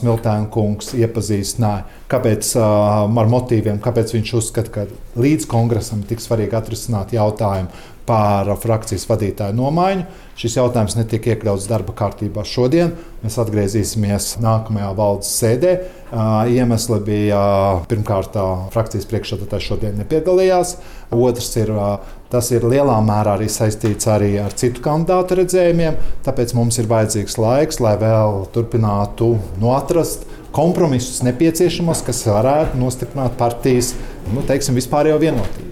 Smiltēna kungs iepazīstināja, kāpēc ar motīviem, kāpēc viņš uzskata, ka līdz kongresam tik svarīgi atrisināt jautājumu par frakcijas vadītāju nomaiņu. Šis jautājums netika iekļauts darba kārtībā šodien. Mēs atgriezīsimies nākamajā valdes sēdē. Iemesli bija pirmkārt, frakcijas priekšsēdētājs šodien nepiedalījās. Otrs tas ir lielā mērā arī saistīts arī ar citu kandidātu redzējumiem. Tāpēc mums ir vajadzīgs laiks, lai vēl turpinātu atrast kompromisus nepieciešamos, kas varētu nostiprināt partijas vispārējo vienotību.